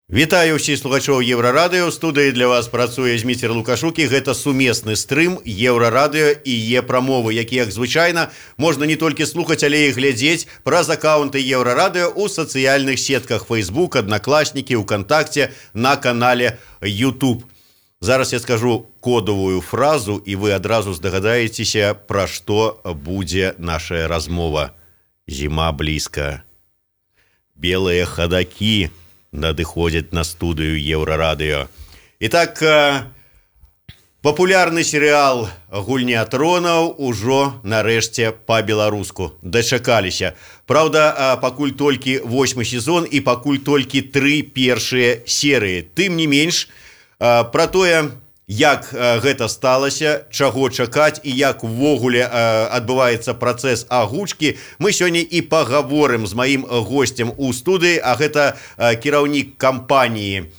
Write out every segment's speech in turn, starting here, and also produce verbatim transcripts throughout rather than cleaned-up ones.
Вітаю ўсіх слухачоў Еўрарадыё. У студыі для вас працуе Зміцер Лукашук, і гэта сумесны стрым Еўрарадыё і Е-прамовы, які, як звычайна, можна не толькі слухаць, але і глядзець праз акаунты Еўрарадыё ў сацыяльных сетках Facebook, Аднакласнікі, УКонтакце, на канале YouTube. Зараз я скажу кодавую фразу, і вы адразу здагадаецеся, пра што будзе наша размова. Зіма блізка. Белыя хадакі надыходзяць на студыю Еўрарадыё. Итак, папулярны серыял «Гульня тронаў» ужо нарэшце па-беларуску дачакаліся. Праўда, пакуль толькі восьмы сезон і пакуль толькі тры першыя серыі. Тым не менш, пра тое, як гэта сталася, чаго чакаць і як увогуле адбываецца працэс агучкі, мы сёння і пагаворым з маім госцем у студыі, а гэта кіраўнік кампаніі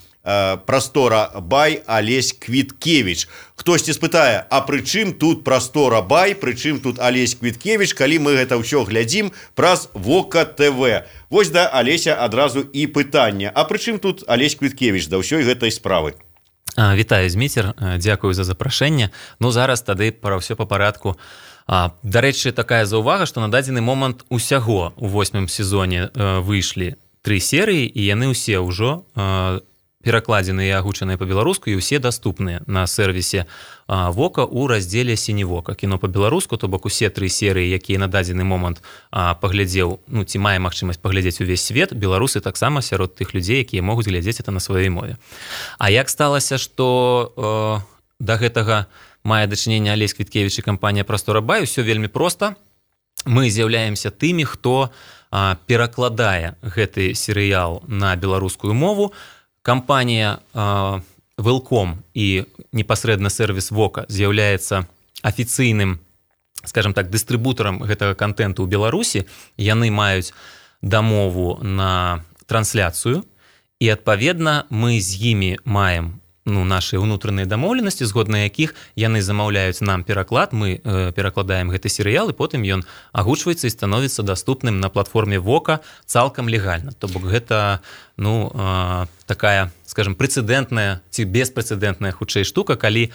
«Прастора Бай» Алесь Квіткевіч. Хтосьці спытае, а пры чым тут «Прастора Бай», пры чым тут Алесь Квіткевіч, калі мы гэта ўсё глядзім праз Вока ТВ. Вось да Алеся адразу і пытанне. А пры чым тут Алесь Квіткевіч да ўсёй гэтай справы? Вітаю, Зміцер, дзякую за запрашэнне. Ну, зараз тады пра ўсё па парадку. Дарэчы, такая заўвага, што на дадзены момант усяго ў восьмым сезоне выйшлі тры серыі, і яны ўсе ўжо перакладзеныя і агучаныя па-беларуску, і ўсе даступныя на сервісе Вока ў раздзеле «Сіневока». Кіно па-беларуску, то бок усе тры серыі, якія на дадзены момант паглядзеў, ну, ці мае магчымасць паглядзець увесь свет, беларусы таксама сярод тых людзей, якія могуць глядзець это на сваёй мове. А як сталася, што э, да гэтага мае дачыненне Алесь Квіткевіч і кампанія «Прастора Бай», усё вельмі проста. Мы з'яўляемся тымі, хто э, перакладае гэты серыял на беларускую мову. Кампанія э, Велком і непасрэдна сервіс Вока з'яўляецца афіцыйным, скажем так, дыстрыбутарам гэтага контенту ў Беларусі. Яны маюць дамову на трансляцыю, і, адпаведна, мы з імі маем ну, наши ўнутраныя дамоўленасці, згодна якіх яны замаўляюць нам пераклад, мы э, перакладаем гэты серыял, і потым ён агучваецца і становіцца даступным на платформе Вока цалкам легальна. То бок гэта ну, э, такая, скажем, прэцэдэнтная ці беспрэцэдэнтная хутчэй штука, калі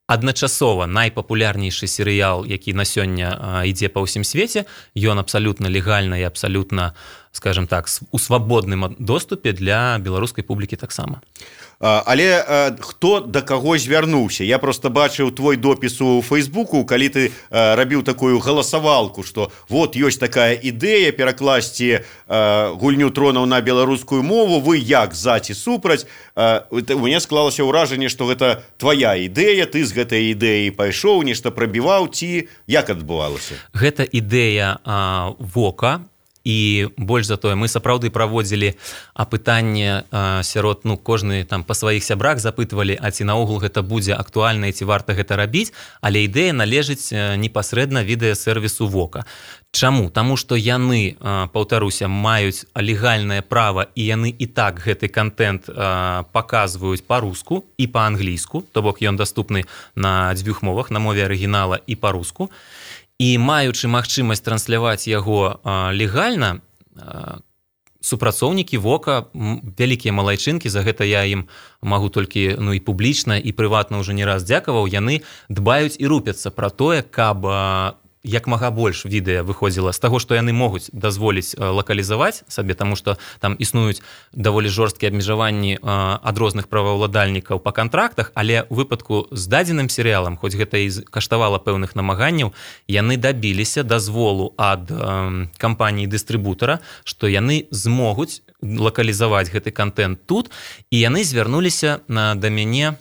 адначасова найпапулярнейшы серыял, які на сёння э, ідзе па ўсім свеце, ён абсалютна легальна і абсалютна, скажем так, у свабодным доступе для беларускай публікі таксама. Але хто да каго звярнуўся? Я просто бачыў твой допіс у Фейсбуку, калі ты рабіў такую галасавалку, што вот ёсць такая ідэя перакласці «Гульню тронаў» на беларускую мову, вы як, за ці супраць? У мяне склалася ўражанне, што гэта твая ідэя, ты з гэтай ідэяй пайшоў, нешта прабіваў, ці як адбывалася? Гэта ідэя Вока. І больш за тое, мы сапраўды праводзілі апытанне сярод, ну, кожны там па сваіх сябрах запытвалі, а ці наогул гэта будзе актуальна і ці варта гэта рабіць, але ідэя належыць непасрэдна відэасервісу Вока. Чаму? Таму што яны, паўтаруся, маюць легальнае права, і яны і так гэты контент паказваюць па-руску і па-англійску, то бок ён даступны на дзвюх мовах, на мове арыгінала і па-руску. І маючы магчымасць трансляваць яго а, легальна, а, супрацоўнікі Вока, вялікія малайчынкі, за гэта я ім магу толькі ну, і публічна, і прыватна ўжо не раз дзякаваў, яны дбаюць і рупяцца пра тое, каб а, як мага больш відэа выходзіла з таго, што яны могуць дазволіць лакалізаваць сабе, таму што там існуюць даволі жорсткія абмежаванні ад розных праваўладальнікаў па кантрактах, але ў выпадку з дадзеным серыялам, хоць гэта і каштавала пэўных намаганняў, яны дабіліся дазволу ад э, кампаніі-дыстрыбутара, што яны змогуць лакалізаваць гэты контент тут, і яны звярнуліся на, да мяне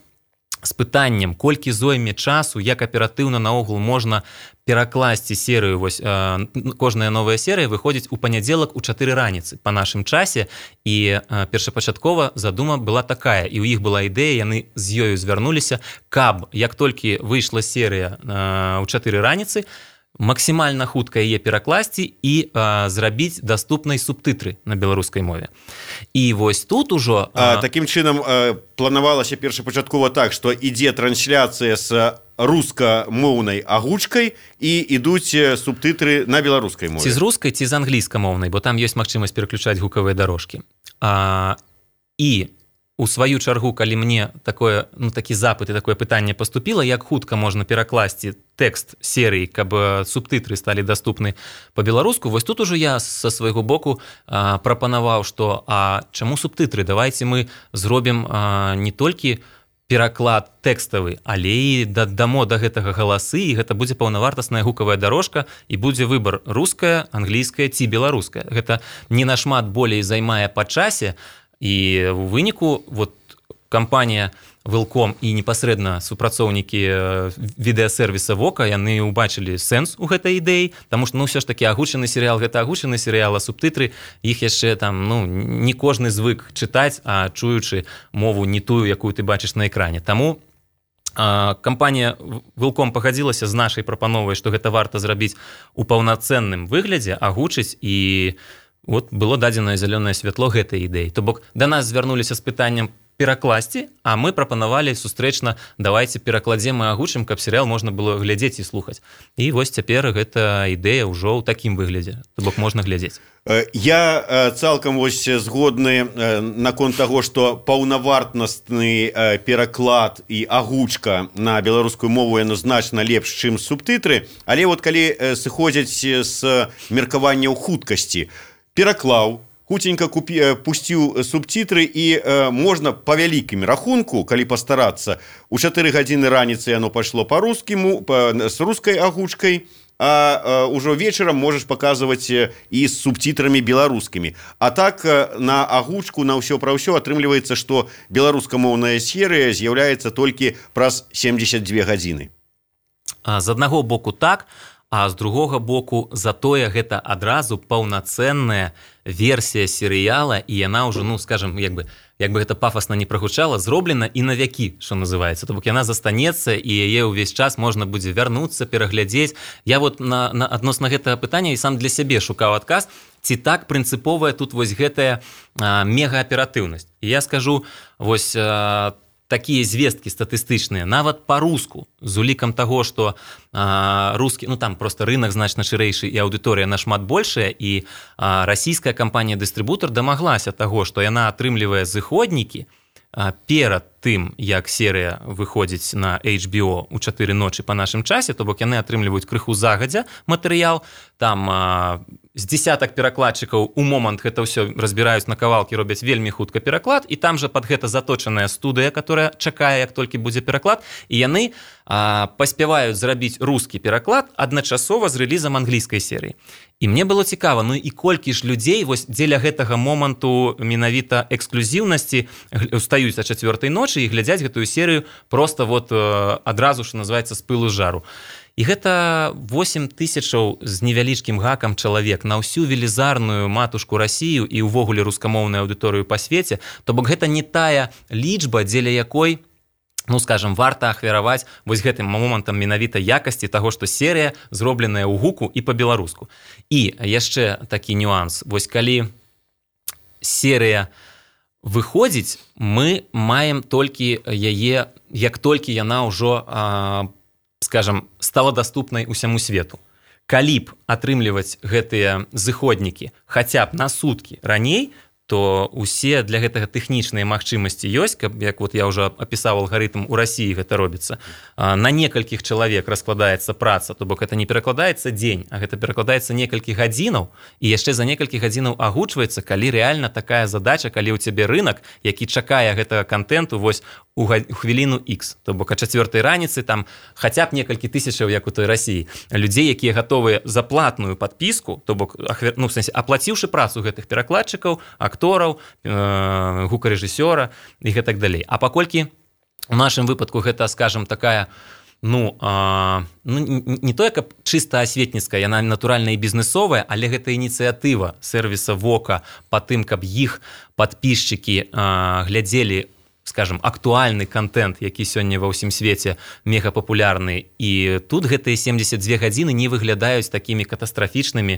з пытаннем, колькі зойме часу, як аператыўна наогул можна перакласці серыю. Вось, э, кожная новая серыя выходзіць у панядзелак у чатыры раніцы па нашым часе, і э, першапачаткова задума была такая, і ў іх была ідэя, яны з ёю звярнуліся, каб як толькі выйшла серыя э, у чатыры раніцы, максімальна хутка яе перакласці і а, зрабіць даступнай субтытры на беларускай мове. І вось тут ужо... А, такім чынам а, планавалася першапачаткова так, што ідзе трансляцыя з рускамоўнай агучкай і ідуць субтытры на беларускай мове. Ці з рускай, ці з англійскамоўнай, бо там ёсць магчымасць пераключаць гукавыя дарожкі. А, і у сваю чаргу, калі мне такое, ну, такі запыт і такое пытанне паступіла, як хутка можна перакласці тэкст серыі, каб субтытры сталі даступны па-беларуску, вось тут ужо я са свайго боку а, прапанаваў, што а чаму субтытры? Давайце мы зробім а, не толькі пераклад тэкставы, але і дадамо да гэтага галасы, і гэта будзе паўнавартасная гукавая дарожка, і будзе выбар руская, англійская ці беларуская. Гэта не нашмат болей займае па часе, і ў выніку вот кампанія Велком і непасрэдна супрацоўнікі відэасервіса Вока, яны ўбачылі сэнс у гэтай ідэі, таму што ну ўсё ж такі агучаны серыял гэта агучаны серыял, а субтытры іх яшчэ там ну не кожны звык чытаць, а чуючы мову не тую, якую ты бачыш на экране. Таму а, кампанія Велком пагадзілася з нашай прапановай, што гэта варта зрабіць у паўнацэнным выглядзе, агучыць, і вот было дадзенае зялёнае святло гэтай ідэі. То бок да нас звярнуліся з пытаннем перакласці, а мы прапанавалі сустрэчна, давайце перакладзем і агучым, каб серыял можна было глядзець і слухаць. І вось цяпер гэта ідэя ўжо ў такім выглядзе. То бок можна глядзець. Я цалкам вось згодны наконт таго, што паўнавартасны пераклад і агучка на беларускую мову яно значна лепш, чым субтытры, але вот калі сыходзяць з меркаванняў хуткасці, пераклаў, хутенька купі, пусціў субтитры і э, можна па вялікім рахунку, калі пастарацца, у чатыры гадзіны раніцы яно пайшло па-рускаму, па, з рускай агучкай, а э, ўжо вечарам можаш паказваць і з субтитрамі беларускімі. А так э, на агучку, на ўсё пра ўсё атрымліваецца, што беларускамоўная серыя з'яўляецца толькі праз семдзесят дзве гадзіны. А з аднаго боку так, а з другога боку затое гэта адразу паўнацэнная версія серыяла, і яна ўжо, ну, скажем, як бы, як бы гэта пафасна не прагучала, зроблена і на вякі, што называецца. То бок яна застанецца, і яе ўвесь час можна будзе вярнуцца, пераглядзець. Я вот на, на адносна гэтага пытання і сам для сябе шукаў адказ, ці так прынцыповая тут вось гэтая а, мегааператыўнасць. І я скажу, вось а, такія звесткі статыстычныя, нават па-руску, з улікам таго, што а, рускі, ну там просто рынок значна шырэйшы і аўдыторыя нашмат большая, і а, расійская кампанія-дыстрыбутар дамаглася таго, што яна атрымлівае зыходнікі а, перад тым, як серыя выходзіць на эйч би о ў чатыры ночы па нашым часе, то бок яны атрымліваюць крыху загадзя матэрыял, там а, з дзесятак перакладчыкаў у момант гэта ўсё разбіраюць на кавалкі, робяць вельмі хутка пераклад, і там жа пад гэта заточаная студыя, которая чакае, як толькі будзе пераклад, і яны а, паспяваюць зрабіць рускі пераклад адначасова з рэлізам англійскай серыі. І мне было цікава, ну і колькі ж людзей вось дзеля гэтага моманту менавіта эксклюзіўнасці устаюць о чацвёртай ночы і глядзяць гэтую серыю просто вот адразу, што называецца, з пылу з жару. І гэта восем тысячаў з невялічкім гакам чалавек на ўсю велізарную матушку Расію і ўвогуле рускамоўную аўдыторыю па свеце. То бок гэта не тая лічба, дзеля якой, ну, скажем, варта ахвяраваць вось гэтым момантам менавіта якасці таго, што серыя зробленая ў гуку і па-беларуску. І яшчэ такі нюанс. Вось калі серыя выходзіць, мы маем толькі яе, як толькі яна ўжо а, скажем, стала даступнай усяму свету. Калі б атрымліваць гэтыя зыходнікі хаця б на суткі раней, то усе для гэтага тэхнічныя магчымасці ёсць, каб, як вот я ўжо апісаў алгарытм, у Расіі гэта робіцца. На некалькіх чалавек раскладаецца праца, то бок гэта не перакладаецца дзень, а гэта перакладаецца некалькі гадзінаў, і яшчэ за некалькі гадзінаў агучваецца, калі рэальна такая задача, калі ў цябе рынак, які чакае гэтага контенту вось у хвіліну X, то бок а чацвёртай раніцы там хаця б некалькі тысячаў, як у той Расіі, людзей, якія гатовыя за платную падпіску, то бок, ну, в сэнсе, аплаціўшы працу гэтых перакладчыкаў, актораў, э, гукарэжысёра і гэтак далей. А паколькі у нашым выпадку гэта, скажем, такая, ну, а, ну не тое, каб чыста асветніцкая, яна натуральна і бізнесовая, але гэта ініцыятыва сервіса Вока па тым, каб іх падпісчыкі а, глядзелі, скажем, актуальны контент, які сёння ва ўсім свеце мегапапулярны, і тут гэтыя семдзесят дзве гадзіны не выглядаюць такімі катастрафічнымі,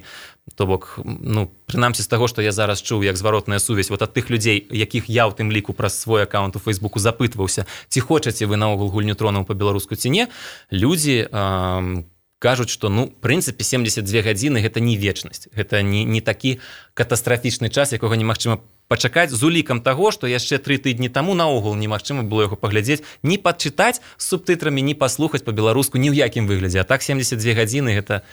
то бок, ну, прынамсі з таго, што я зараз чуў, як зваротная сувязь вот ад тых людзей, якіх я ў тым ліку праз свой аккаунт у Фейсбуку запытваўся, ці хочаце вы наогул гульню тронаў па-беларуску ці не, людзі э, кажуць, што, ну, в прынцыпе, семдзесят дзве гадзіны гэта не вечнасць, гэта не, не такі катастрафічны час, якога немагчыма пачакаць з улікам таго, што яшчэ тры тыдні таму наогул немагчыма было яго паглядзець, ні падчытаць з субтытрамі, ні паслухаць па-беларуску ні ў якім выглядзе. А так семдзесят две гадзіны гэта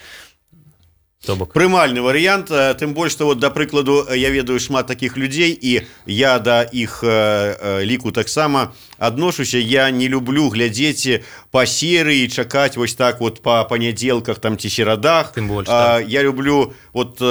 прымальны варыянт, тым больш што вот, да прыкладу, я ведаю шмат такіх людзей і я да іх э, ліку таксама адношуся. Я не люблю глядзець па серыі, чакаць вось так вот па панядзелках там ці серадах. Тым больш, а, я люблю вот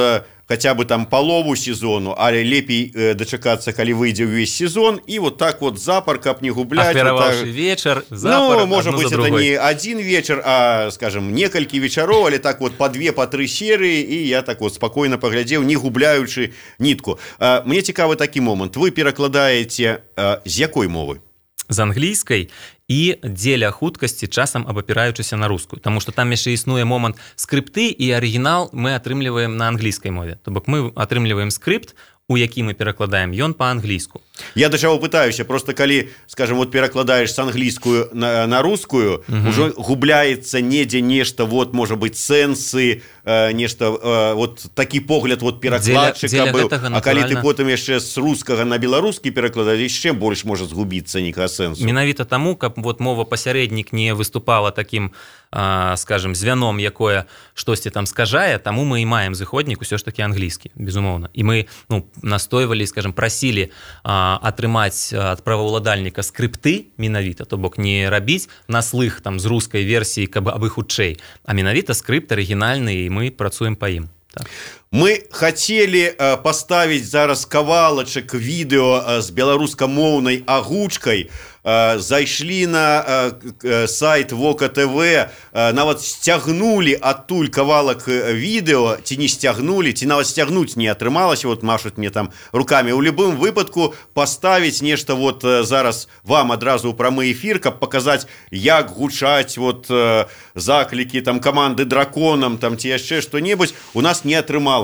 хотя бы там полову сезону, але лепей э, дачакацца, калі выйдзе ўвесь сезон, і вот так вот запар, каб не губляць. Ахвяраваўшы вот так... вечар, запар, ну, может быть, это не один вечер, а, скажем, некалькі вечароў, але так вот по две, по тры серыі, і я так вот спокойно паглядзеў, не губляючы нітку. А, мне цікавы такі момант. Вы перакладаеце а, з якой мовы? З англійскай і дзеля хуткасці часам абапіраючыся на рускую, таму што там яшчэ існуе момант скрыпты, і арыгінал мы атрымліваем на англійскай мове. То бок мы атрымліваем скрыпт, у які мы перакладаем, ён па-англійску. Я да чаго пытаюся, просто калі, скажем, вот перакладаеш з англійскую на, на рускую, угу. Ужо губляецца недзе нешта, вот, можа быць, сэнсы, э, нешта, э, вот такі погляд вот перакладчыка быў. А калі ты потым яшчэ з рускага на беларускі перакладаеш, яшчэ больш можа згубіцца нейкага сэнсу. Менавіта таму, каб вот мова пасярэднік не выступала такім, э, скажем, звяном, якое штосьці там скажае, таму мы і маем зыходнік усё ж такі англійскі, безумоўна. І мы, ну, настойвалі, скажем, прасілі а, атрымаць ад праваўладальніка скрыпты менавіта, то бок не рабіць на слых там з рускай версіі, каб абы хутчэй, а менавіта скрыпт арыгінальны, і мы працуем па ім. Так. Мы хацелі э, паставіць зараз кавалачак відэо э, з беларускамоўнай агучкай. Э, зайшлі на э, сайт Вока ТВ, э, нават сцягнулі адтуль кавалак відэо, ці не сцягнулі, ці нават сцягнуць не атрымалася, вот машуць мне там рукамі. У любым выпадку паставіць нешта вот э, зараз вам адразу ў прамы эфір, каб паказаць, як гучаць вот э, заклікі там каманды драконам там ці яшчэ што-небудзь, у нас не атрымалася.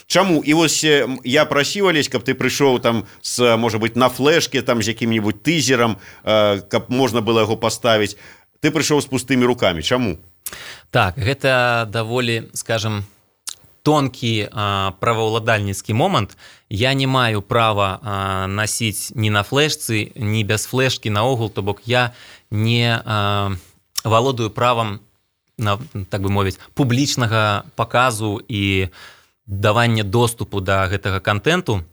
Чаму? І вось я прасіў, Алесь, каб ты прыйшоў там з, можа быць, на флешке там з якім-небудзь тызерам, каб можна было яго паставіць. Ты прыйшоў з пустымі рукамі. Чаму? Так, гэта даволі, скажем, тонкі а, праваўладальніцкі момант. Я не маю права а, насіць ні на флешцы, ні без флешкі наогул, то бок я не а, валодаю правам, на, так бы мовіць, публічнага паказу і давання доступу да гэтага контенту.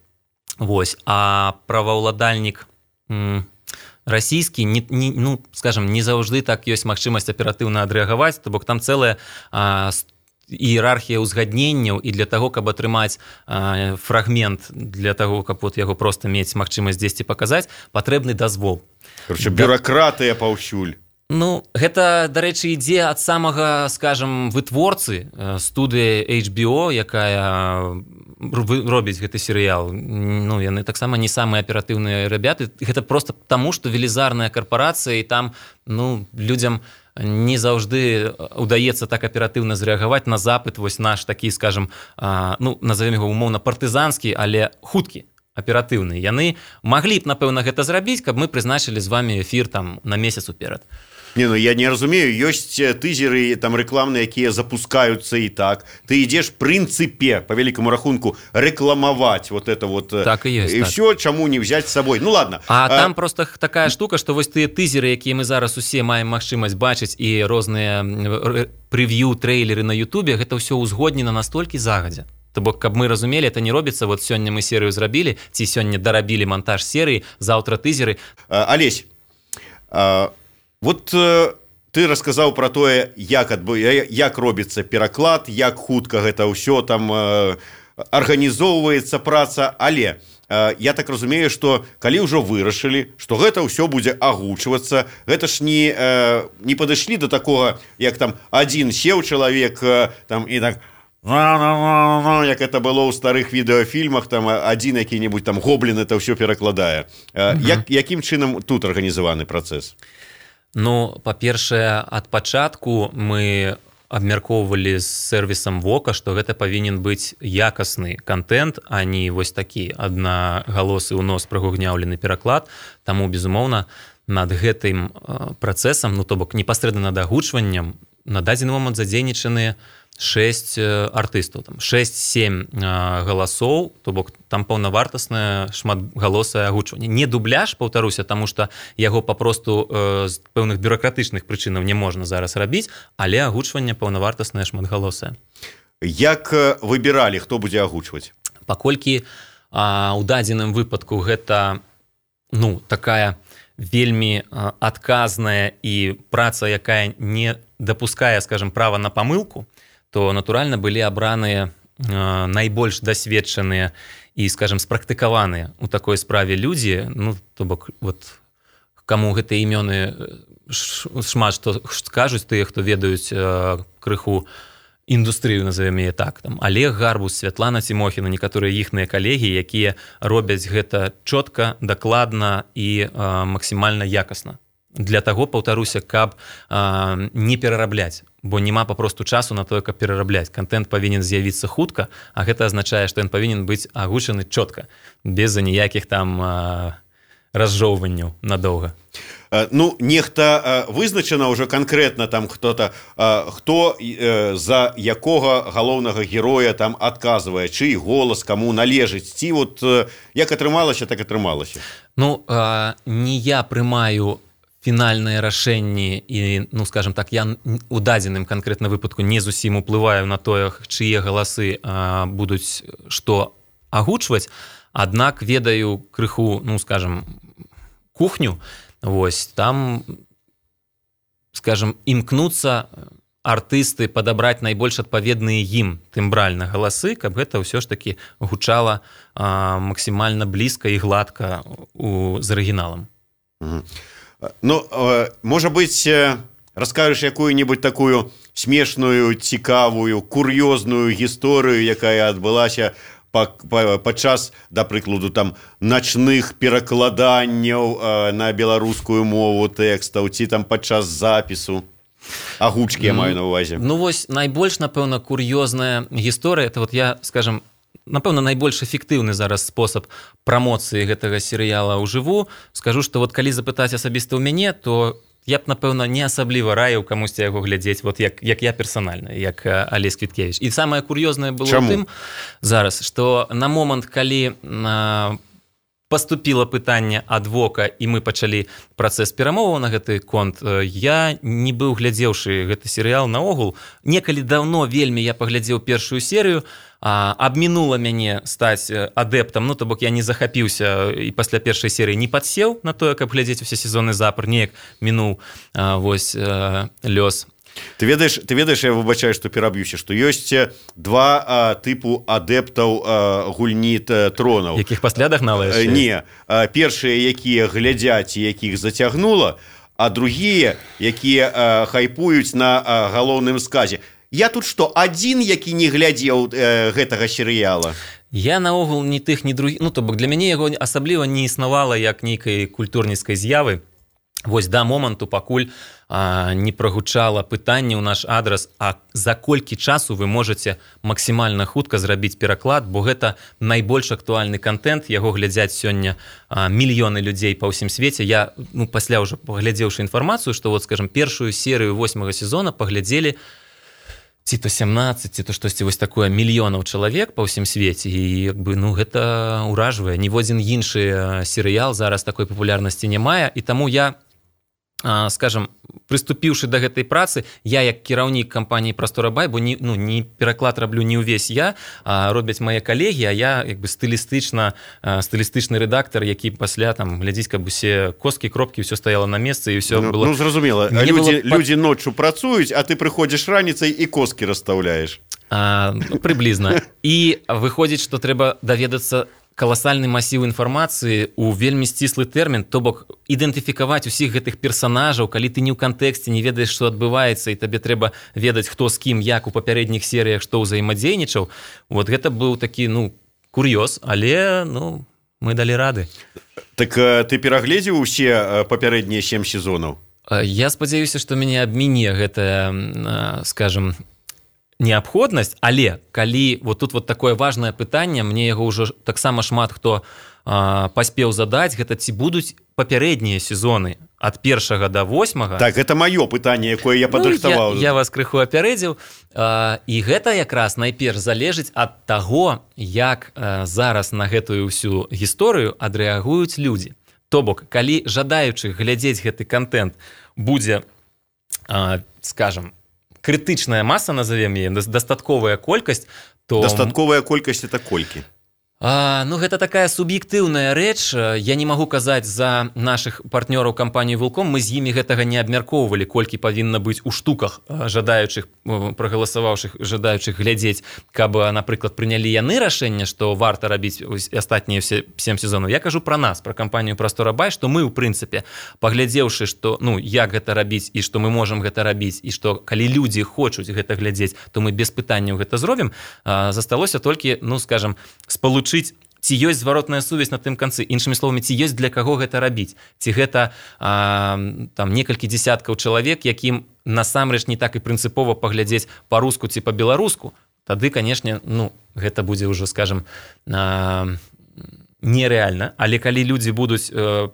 Вось, а праваўладальнік м, расійскі, не, не, ну, скажем, не заўжды так ёсць магчымасць аператыўна адрэагаваць, то бок там цэлая а, іерархія ўзгадненняў, і для таго, каб атрымаць а, фрагмент, для таго, каб вот яго проста мець магчымасць дзесьці паказаць, патрэбны дазвол. Короче, бюракратыя паўсюль. Ну, гэта, дарэчы, ідзе ад самага, скажем, вытворцы, студыя эйч би о, якая робіць гэты серыял. Ну, яны таксама не самыя аператыўныя рабяты. Гэта проста таму, што велізарная карпарацыя, і там, ну, людзям не заўжды удаецца так аператыўна зрэагаваць на запыт вось наш такі, скажем, ну, назовем яго умоўна партызанскі, але хуткі, аператыўны. Яны маглі б, напэўна, гэта зрабіць, каб мы прызначылі з вамі эфір там на месяц уперад. Не, ну я не разумею, ёсць тызеры там рэкламныя, якія запускаюцца і так. Ты ідзеш прынцыпе, по великому рахунку, рэкламаваць вот это вот. Так і ёсць. І так. ўсё, чаму не взять з сабой? Ну ладно. А, а там просто такая штука, што вось тыя тызеры, якія мы зараз усе маем магчымасць бачыць, і розныя прэв'ю, трэйлеры на Ютубе, гэта ўсё ўзгоднена настолькі загадзя. То бок, каб мы разумелі, это не робіцца, вот сёння мы серыю зрабілі, ці сёння дарабілі монтаж серыі, заўтра тызеры. А, Алесь, а... Вот э, ты расказаў пра тое, як, адбы, як робіцца пераклад, як хутка гэта ўсё там э, арганізоўваецца праца, але э, я так разумею, што калі ўжо вырашылі, што гэта ўсё будзе агучвацца, гэта ж не, э, не падышлі да такога, як там адзін сеў чалавек э, там, і так... як это было ў старых відэафільмах, там адзін які-небудзь там гоблін это ўсё перакладае. Э, угу. як, якім чынам тут арганізаваны працэс? Ну, па-першае, ад пачатку мы абмяркоўвалі з сервісам Вока, што гэта павінен быць якасны контент, а не вось такі аднагалосы ў нос прагугняўлены пераклад. Таму, безумоўна, над гэтым працэсам, ну, то бок непасрэдна над агучваннем, на дадзены момант задзейнічаныя шэсць артыстаў, там шэсць-сем галасоў, то бок там паўнавартаснае шматгалосае агучванне. Не дубляж, паўтаруся, таму што яго папросту з пэўных бюракратычных прычынаў не можна зараз рабіць, але агучванне паўнавартаснае шматгалосае. Як выбіралі, хто будзе агучваць? Паколькі а, у дадзеным выпадку гэта ну, такая вельмі а, адказная і праца, якая не дапускае, скажем, права на памылку, то, натуральна, былі абраныя э, найбольш дасведчаныя і, скажем, спрактыкаваныя ў такой справе людзі, ну, то бок, вот, каму гэтыя імёны шмат што скажуць, тыя, хто ведаюць э, крыху індустрыю, назовем яе так, там, Олег Гарбус, Святлана Тимохіна, некаторыя іхныя калегі, якія робяць гэта чётка, дакладна і э, максімальна якасна. Для таго, паўтаруся, каб а, не перарабляць, бо няма папросту часу на тое, каб перарабляць. Контент павінен з'явіцца хутка, а гэта азначае, што ён павінен быць агучаны чётка, без ніякіх там а, разжоўванняў надоўга. Ну, нехта вызначана ўжо канкрэтна там хто-то, хто за якога галоўнага героя там адказвае, чый голас каму належыць, ці вот як атрымалася, так атрымалася. Ну, а, не я прымаю фінальныя рашэнні і, ну, скажем так, я у дадзеным канкрэтна выпадку не зусім уплываю на тое, чые галасы а, будуць што агучваць, аднак ведаю крыху, ну, скажем, кухню, вось, там, скажем, імкнуцца артысты падабраць найбольш адпаведныя ім тымбральна галасы, каб гэта ўсё ж такі гучала а, максімальна блізка і гладка у, з арыгіналам. Угу. Ну, можа быць, раскажаш якую-небудзь такую смешную, цікавую, кур'ёзную гісторыю, якая адбылася падчас, да прыкладу, там начных перакладанняў на беларускую мову тэкстаў, ці там падчас запісу, агучкі я маю на ўвазе. Ну вось, найбольш, напэўна, кур'ёзная гісторыя, это вот я, скажем, напэўна, найбольш эфектыўны зараз спосаб прамоцыі гэтага серыяла ўжыву. Скажу, што вот калі запытаць асабіста ў мяне, то я б, напэўна, не асабліва раіў камусьці яго глядзець, вот як, як я персанальна, як Алесь Квіткевіч. І самае кур'ёзнае было ў тым зараз, што на момант, калі а, паступіла пытанне ад Вока, і мы пачалі працэс перамоваў на гэты конт, я не быў глядзеўшы гэты серыял наогул. Некалі даўно вельмі я паглядзеў першую серыю, а, абмінула мяне стаць адэптам, ну, то бок я не захапіўся і пасля першай серыі не падсеў на тое, каб глядзець усе сезоны запар, неяк мінуў а, вось а, лёс. Ты ведаеш, ты ведаеш, я выбачаю, што пераб'юся, што ёсць два а, тыпу адэптаў а, гульні тронаў. Якіх пасля дагналаеш? Не, а, першыя, якія глядзяць і якіх зацягнула, а другія, якія а, хайпуюць на а, галоўным сказе. Я тут што, адзін, які не глядзеў э, гэтага серыяла? Я наогул ні тых, ні другіх, ну, то бок для мяне яго асабліва не існавала як нейкай культурніцкай з'явы. Вось да моманту, пакуль а, не прагучала пытанне ў наш адрас, а за колькі часу вы можаце максімальна хутка зрабіць пераклад, бо гэта найбольш актуальны контент, яго глядзяць сёння а, мільёны людзей па ўсім свеце. Я, ну, пасля ўжо паглядзеўшы інфармацыю, што, вот, скажем, першую серыю восьмага сезона паглядзелі ці то сямнаццаць, ці то штосьці вось такое мільёнаў чалавек па ўсім свеце, і як бы, ну, гэта ўражвае. Ніводзін іншы серыял зараз такой папулярнасці не мае, і таму я, скажем, прыступіўшы да гэтай працы, я як кіраўнік кампаніі «Прастора.бай», бо не, ну, не пераклад раблю не ўвесь я, а робяць мае калегі, а я як бы стылістычна, стылістычны рэдактар, які пасля там глядзіць, каб усе косткі, кропкі, ўсё стаяло на месцы, і ўсё ну, было... Ну, зразумела, людзі, было... людзі ноччу працуюць, а ты прыходзіш раніцай і косткі расстаўляеш. А, ну, прыблізна. І выходзіць, што трэба даведацца каласальны масіў інфармацыі ў вельмі сціслы тэрмін, то бок ідэнтыфікаваць усіх гэтых персанажаў, калі ты не ў кантэксце, не ведаеш, што адбываецца, і табе трэба ведаць, хто з кім, як у папярэдніх серыях, што ўзаемадзейнічаў. Вот гэта быў такі, ну, кур'ёз, але, ну, мы далі рады. Так ты перагледзеў усе папярэднія сем сезонаў? Я спадзяюся, што мяне абміне гэтая, скажем, неабходнасць, але калі вот тут вот такое важнае пытанне, мне яго ўжо таксама шмат хто а, паспеў задаць, гэта ці будуць папярэднія сезоны ад першага да восьмага. Так, гэта маё пытанне, якое я падрыхтаваў. Ну, я, я вас крыху апярэдзіў. І гэта якраз найперш залежыць ад таго, як зараз на гэтую ўсю гісторыю адрэагуюць людзі. То бок, калі жадаючых глядзець гэты контент будзе, скажам, крытычная маса, назовем яе, дастатковая колькасць, то... Дастатковая колькасць это колькі? А, ну, гэта такая суб'ектыўная рэч. Я не магу казаць за нашых партнёраў кампаніі «Вулком». Мы з імі гэтага не абмяркоўвалі, колькі павінна быць у штуках жадаючых, прагаласаваўшых, жадаючых глядзець, каб, напрыклад, прынялі яны рашэнне, што варта рабіць астатнія ўсе сем сезонаў. Я кажу пра нас, пра кампанію «Прастора-Бай», што мы, у прынцыпе, паглядзеўшы, што, ну, як гэта рабіць і што мы можам гэта рабіць, і што калі людзі хочуць гэта глядзець, то мы без пытанняў гэта зробім. Засталося толькі, ну, скажам, спалучыць, ці ёсць зваротная сувязь на тым канцы, іншымі словамі, ці ёсць для каго гэта рабіць, ці гэта а, там некалькі дзесяткаў чалавек, якім насамрэч не так і прынцыпова паглядзець па-руску ці па-беларуску, тады, канешне, ну, гэта будзе ўжо, скажам, а, нерэальна, але калі людзі будуць а,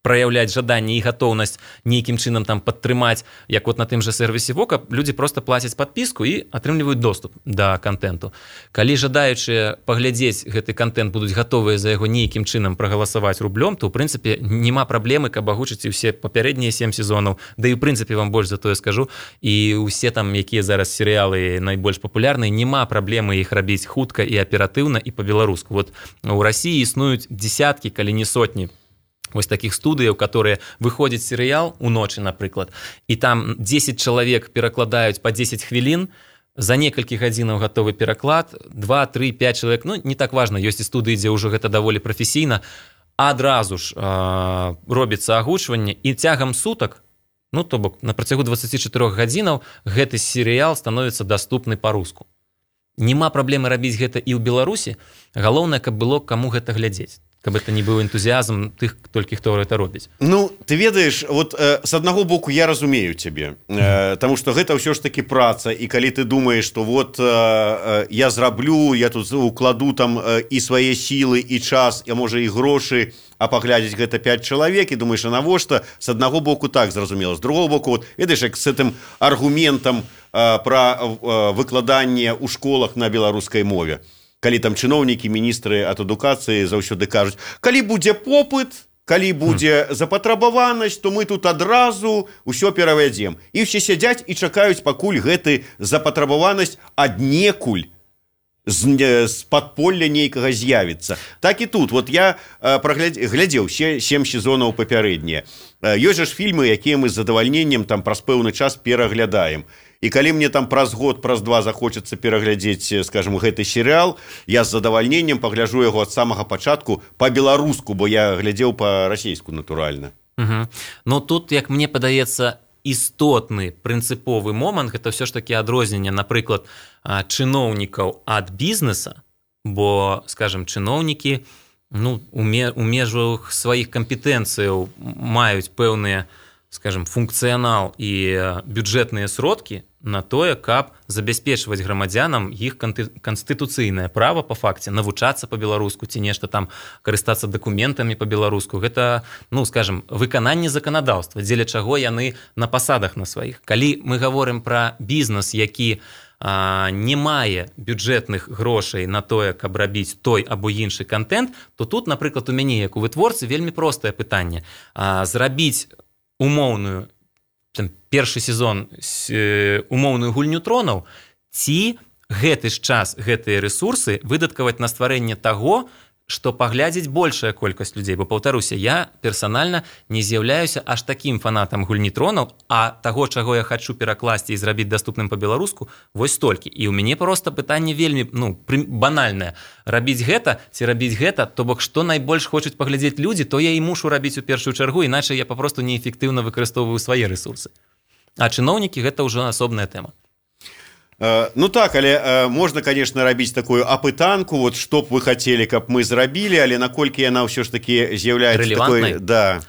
праяўляць жаданне і гатоўнасць нейкім чынам там падтрымаць, як вот на тым жа сервісе Вока, людзі проста плацяць падпіску і атрымліваюць доступ да контенту. Калі жадаючыя паглядзець гэты контент будуць гатовыя за яго нейкім чынам прагаласаваць рублём, то ў прынцыпе няма праблемы, каб агучыць усе папярэднія сем сезонаў, да і ў прынцыпе вам больш за тое скажу, і ўсе там, якія зараз серыялы найбольш папулярныя, няма праблемы іх рабіць хутка і аператыўна і па-беларуску. Вот у Расіі існуюць дзесяткі, калі не сотні, вось такіх студыяў, которые выходзіць серыял уночы, напрыклад, і там дзесяць чалавек перакладаюць па дзесяць хвілін, за некалькі гадзінаў гатовы пераклад, два, тры, пяць чалавек, ну, не так важна, ёсць і студыі, дзе ўжо гэта даволі прафесійна, адразу ж э, робіцца агучванне, і цягам сутак, ну, то бок, на працягу дваццаці чатырох гадзінаў гэты серыял становіцца даступны па-руску. Няма праблемы рабіць гэта і ў Беларусі, галоўнае, каб было каму гэта глядзець. Каб это не быў энтузіазм тых, толькі хто гэта робіць. Ну, ты ведаеш, вот э, с аднаго боку я разумею цябе, э, таму што гэта ўсё ж такі праца, і калі ты думаеш, што вот э, э, я зраблю, я тут укладу там э, і свае сілы, і час, а можа і грошы, а паглядзець гэта пяць чалавек, і думаеш, а навошта? С аднаго боку так, зразумела. З другого боку, вот, ведаеш, як з гэтым аргументам э, пра э, выкладанне ў школах на беларускай мове. Калі там чыноўнікі, міністры ад адукацыі заўсёды кажуць, калі будзе попыт, калі будзе запатрабаванасць, то мы тут адразу ўсё перавядзем. І ўсе сядзяць і чакаюць, пакуль гэты запатрабаванасць аднекуль з, з падполля нейкага з'явіцца. Так і тут. Вот я глядзеў сем сезонаў папярэднія. Ёсць жа ж фільмы, якія мы з задавальненнем там праз пэўны час пераглядаем. І калі мне там праз год, праз два захочацца пераглядзець, скажем, гэты серыял, я з задавальненнем пагляджу яго ад самага пачатку па-беларуску, бо я глядзеў па-расейску, натуральна. Угу. Ну тут, як мне падаецца, істотны прынцыповы момант, гэта ўсё ж такі адрозненне, напрыклад, чыноўнікаў ад бізнеса, бо, скажем, чыноўнікі, ну, у межах сваіх кампетэнцыяў маюць пэўныя, скажем, функцыянал і бюджэтныя сродкі на тое, каб забяспечваць грамадзянам іх канстытуцыйнае права па факце навучацца па-беларуску ці нешта там карыстацца дакументамі па-беларуску. Гэта, ну, скажем, выкананне заканадаўства, дзеля чаго яны на пасадах на сваіх. Калі мы гаворым пра бізнес, які а, не мае бюджэтных грошай на тое, каб рабіць той або іншы контент, то тут, напрыклад, у мяне, як у вытворцы, вельмі простае пытанне. А, зрабіць умоўную там, першы сезон умоўную гульню тронаў, ці гэты ж час, гэтыя рэсурсы выдаткаваць на стварэнне таго, што паглядзець большая колькасць людзей. Бо, паўтаруся, я персанальна не з'яўляюся аж такім фанатам гульні тронаў, а таго, чаго я хачу перакласці і зрабіць даступным па-беларуску, вось столькі. І ў мяне проста пытанне вельмі, ну, банальнае. Рабіць гэта ці рабіць гэта, то бок, што найбольш хочуць паглядзець людзі, то я і мушу рабіць у першую чаргу, іначай я папросту неэфектыўна выкарыстоўваю свае рэсурсы. А чыноўнікі гэта ўжо асобная тэма. Ну так, але можна, конечно, рабіць такую апытанку, вот што б вы хацелі, каб мы зрабілі, але наколькі яна ўсё ж такі з'яўляецца такой... Да.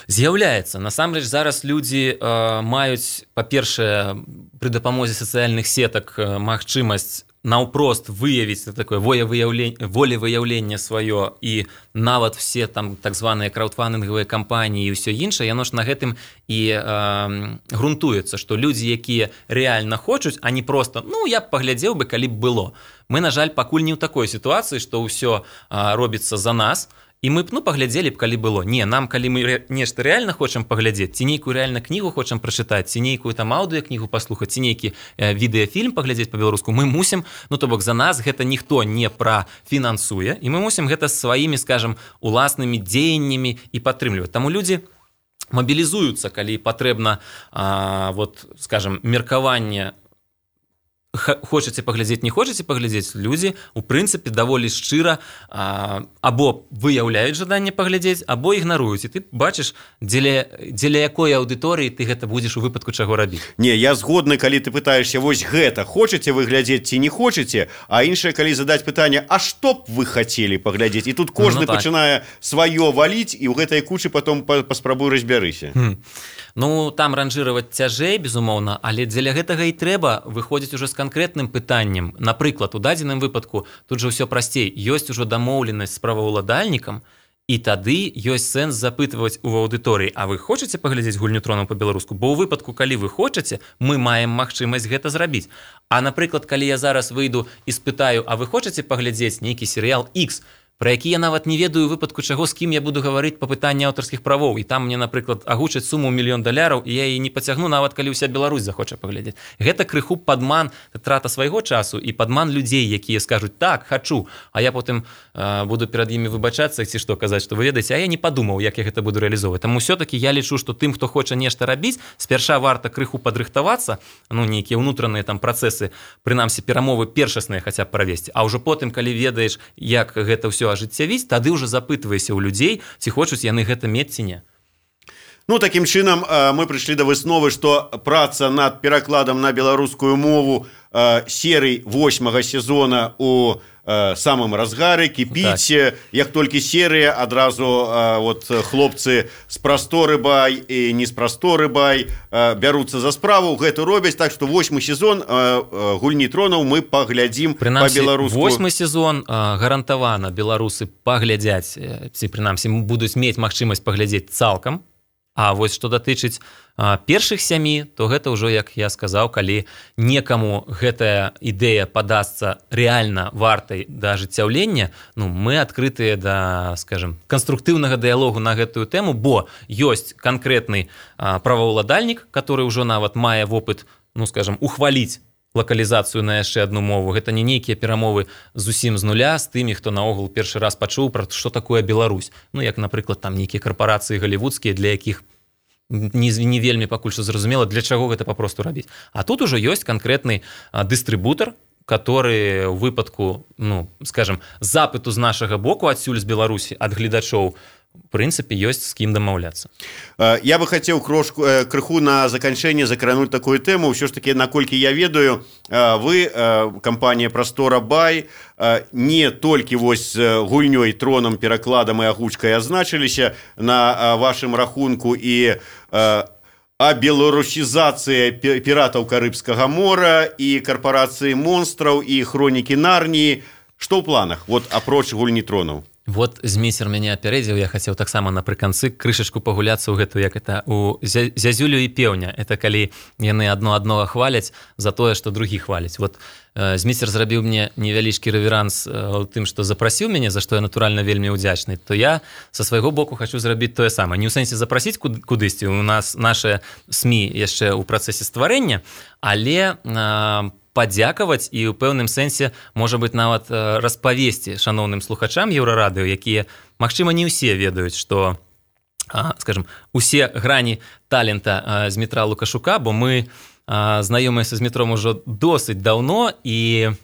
З'яўляецца. Насамрэч, зараз людзі э, маюць, па-першае, пры дапамозе сацыяльных сетак магчымасць наўпрост выявіць такое волевыяўленне сваё і нават все там так званыя краўдфандынгавыя кампаніі і ўсё іншае, яно ж на гэтым і э, грунтуецца, што людзі, якія рэальна хочуць, а не просто ну я б паглядзеў бы, калі б было. Мы, на жаль, пакуль не ў такой сітуацыі, што ўсё э, робіцца за нас. І мы б ну паглядзелі б, калі было. Не, нам калі мы ре... нешта рэальна хочам паглядзець, ці нейкую рэальна кнігу хочам прачытаць, ці нейкую там аўдыёкнігу паслухаць, ці нейкі э, відэафільм паглядзець па-беларуску, мы мусім, ну то бок за нас гэта ніхто не прафінансуе, і мы мусім гэта сваімі, скажам, уласнымі дзеяннямі і падтрымліваць. Таму людзі мабілізуюцца, калі патрэбна а, вот, скажам, меркаванне хочаце паглядзець, не хочаце паглядзець, людзі у прынцыпе даволі шчыра а, або выяўляюць жаданне паглядзець, або ігнаруюць, і ты бачыш, дзеля, дзеля якой аўдыторыі ты гэта будзеш у выпадку чаго рабіць. Не, я згодны, калі ты пытаешься вось гэта, хочаце вы глядзець ці не хочаце, а іншае, калі задаць пытанне, а што б вы хацелі паглядзець, і тут кожны ну, так. пачынае сваё валіць, і ў гэтай кучы потом паспрабуй разбярыся. Хм. Ну, там ранжыраваць цяжэй, безумоўна, але дзеля гэтага і трэба выходзіць ужо з канкрэтным пытаннем. Напрыклад, у дадзеным выпадку тут жа ўсё прасцей. Ёсць ужо дамоўленасць з праваўладальнікам, і тады ёсць сэнс запытваць у аўдыторыі, а вы хочаце паглядзець гульню тронаў па-беларуску? Бо ў выпадку, калі вы хочаце, мы маем магчымасць гэта зрабіць. А, напрыклад, калі я зараз выйду і спытаю, а вы хочаце паглядзець нейкі серыял X, про які я нават не ведаю у выпадку чаго, з кім я буду гаварыць па пытанні аўтарскіх правоў, і там мне, напрыклад, агучаць суму мільён даляраў, і я яе не пацягну, нават калі ўся Беларусь захоча паглядзець. Гэта крыху падман, трата свайго часу і падман людзей, якія скажуць так, хачу, а я потым э, буду перад імі выбачацца ці што казаць, што вы ведаеце, а я не падумаў, як я гэта буду рэалізоўваць. Таму ўсё-такі я лічу, што тым, хто хоча нешта рабіць, спярша варта крыху падрыхтавацца, ну нейкія ўнутраныя там працэсы, прынамсі перамовы першасныя хаця б правесці, а ўжо потым, калі ведаеш, як гэта ўсё ажыццявіць, тады ўжо запытвайся ў людзей, ці хочуць яны гэта мець ці не. Ну, такім чынам мы прыйшлі да высновы, што праца над перакладам на беларускую мову серый восьмага сезона у самым разгары, кіпіць, так. Як толькі серыя, адразу вот, хлопцы з прасторы бай і не з прасторы бай бяруцца за справу, гэта робяць, так што восьмы сезон гульні тронаў мы паглядзім па-беларуску. Восьмы сезон гарантавана беларусы паглядзяць, ці прынамсі будуць мець магчымасць паглядзець цалкам. А вось што датычыць а, першых сямі, то гэта ўжо, як я сказаў, калі некаму гэтая ідэя падасца рэальна вартай да ажыццяўлення, ну, мы адкрытыя да, скажем, канструктыўнага дыялогу на гэтую тэму, бо ёсць канкрэтны а, праваўладальнік, который ўжо нават мае вопыт, ну, скажем, ухваліць лакалізацыю на яшчэ адну мову. Гэта не нейкія перамовы зусім з нуля з тымі, хто наогул першы раз пачуў пра што такое Беларусь. Ну, як, напрыклад, там нейкія карпорацыі галівудскія, для якіх не, не вельмі пакуль што зразумела, для чаго гэта папросту рабіць. А тут ужо ёсць канкрэтны дыстрыбутар, который у выпадку, ну, скажем, запыту з нашага боку адсюль з Беларусі ад гледачоў, в прынцыпе, ёсць з кім дамаўляцца. Я бы хацеў крошку, крыху на заканчэнне закрануць такую тэму. Ўсё ж такі, наколькі я ведаю, вы, кампанія «Прастора Бай», не толькі вось гульнёй, тронам, перакладам і агучкай азначыліся на вашым рахунку і а беларусізацыя піратаў Карыбскага мора і карпорацыі монстраў і хронікі Нарніі. Што ў планах, вот апроч гульні тронаў? Вот змейсер мяне апярэдзіў, я хацеў таксама напрыканцы крышачку пагуляцца ў гэту, як это у зязюлю і пеўня. Это калі яны адно аднога хваляць за тое, што другі хваляць. Вот э, змейсер зрабіў мне невялічкі рэверанс у э, тым, што запрасіў мяне, за што я натуральна вельмі ўдзячны, то я са свайго боку хачу зрабіць тое самае. Не ў сэнсе запрасіць куд, кудысьці, у нас нашы СМІ яшчэ ў працэсе стварэння, але э, падзякаваць і ў пэўным сэнсе, можа быць, нават распавесці шаноўным слухачам Еўрарадыё, якія, магчыма, не ўсе ведаюць, што, скажем, усе грані талента Змітра Лукашука, бо мы знаёмыя са Змітром ужо досыць даўно, і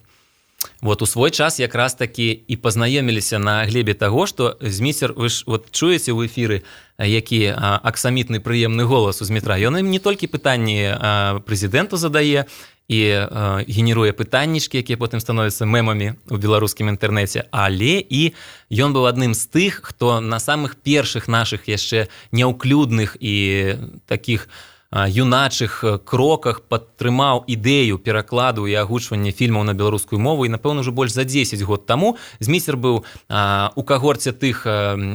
вот у свой час якраз такі і пазнаёміліся на глебе таго, што Зміцер, вы ж вот чуеце ў эфіры, які аксамітны прыемны голас у Змітра. Ён ім не толькі пытанні прэзідэнту задае, і э, генеруе пытаннічкі, якія потым становяцца мемамі ў беларускім інтэрнэце, але і ён быў адным з тых, хто на самых першых нашых яшчэ няўклюдных і такіх юначых кроках падтрымаў ідэю перакладу і агучвання фільмаў на беларускую мову, і, напэўна, ўжо больш за дзесяць год таму Зміцер быў у кагорце тых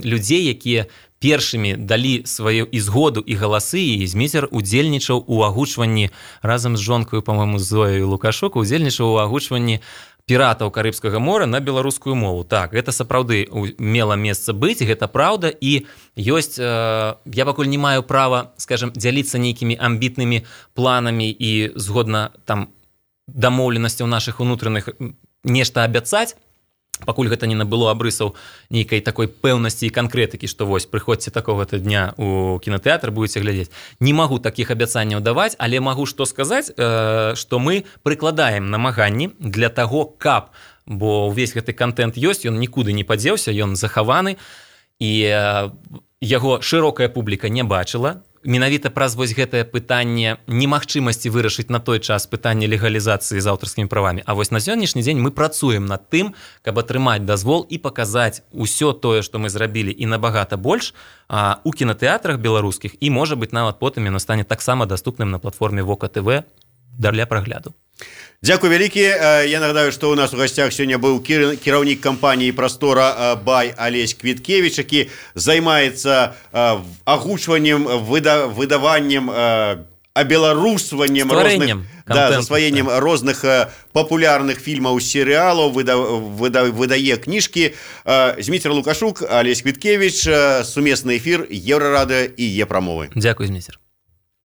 людзей, якія першымі далі сваю і згоду, і галасы, і Зміцер удзельнічаў у агучванні разам з жонкаю, па-мойму, Зояй Лукашук, удзельнічаў у агучванні піратаў Карыбскага мора на беларускую мову. Так, гэта сапраўды мела месца быць, гэта праўда, і ёсць, э, я пакуль не маю права, скажем, дзяліцца нейкімі амбітнымі планамі і згодна там дамоўленасцяў нашых унутраных нешта абяцаць, пакуль гэта не набыло абрысаў нейкай такой пэўнасці і канкрэтыкі, што вось, прыходзьце такога-то дня у кінотэатр, будзеце глядзець. Не магу такіх абяцанняў даваць, але магу што сказаць, э, што мы прыкладаем намаганні для таго, каб, бо ўвесь гэты контент ёсць, ён нікуды не падзеўся, ён захаваны, і э, яго шырокая публіка не бачыла. Менавіта праз вось гэтае пытанне немагчымасці вырашыць на той час пытанне легалізацыі з аўтарскімі правамі. А вось на сённяшні дзень мы працуем над тым, каб атрымаць дазвол і паказаць усё тое, што мы зрабілі, і набагата больш а, у кінотэатрах беларускіх, і, можа быць, нават потым яно стане таксама даступным на платформе Вока ТВ для прагляду. Дзякуй вялікі. Я нагадаю, што ў нас у гасцях сёння быў кіраўнік кампаніі «Прастора» Бай Алесь Квіткевіч, які займаецца агучваннем, выдаваннем, абеларусваннем розных, да, засваеннем розных папулярных фільмаў, серыялаў, выда, выда, выдае кніжкі. Зміцер Лукашук, Алесь Квіткевіч, сумесны эфір Еўрарадыё і Е-прамовы. Дзякуй, Зміцер.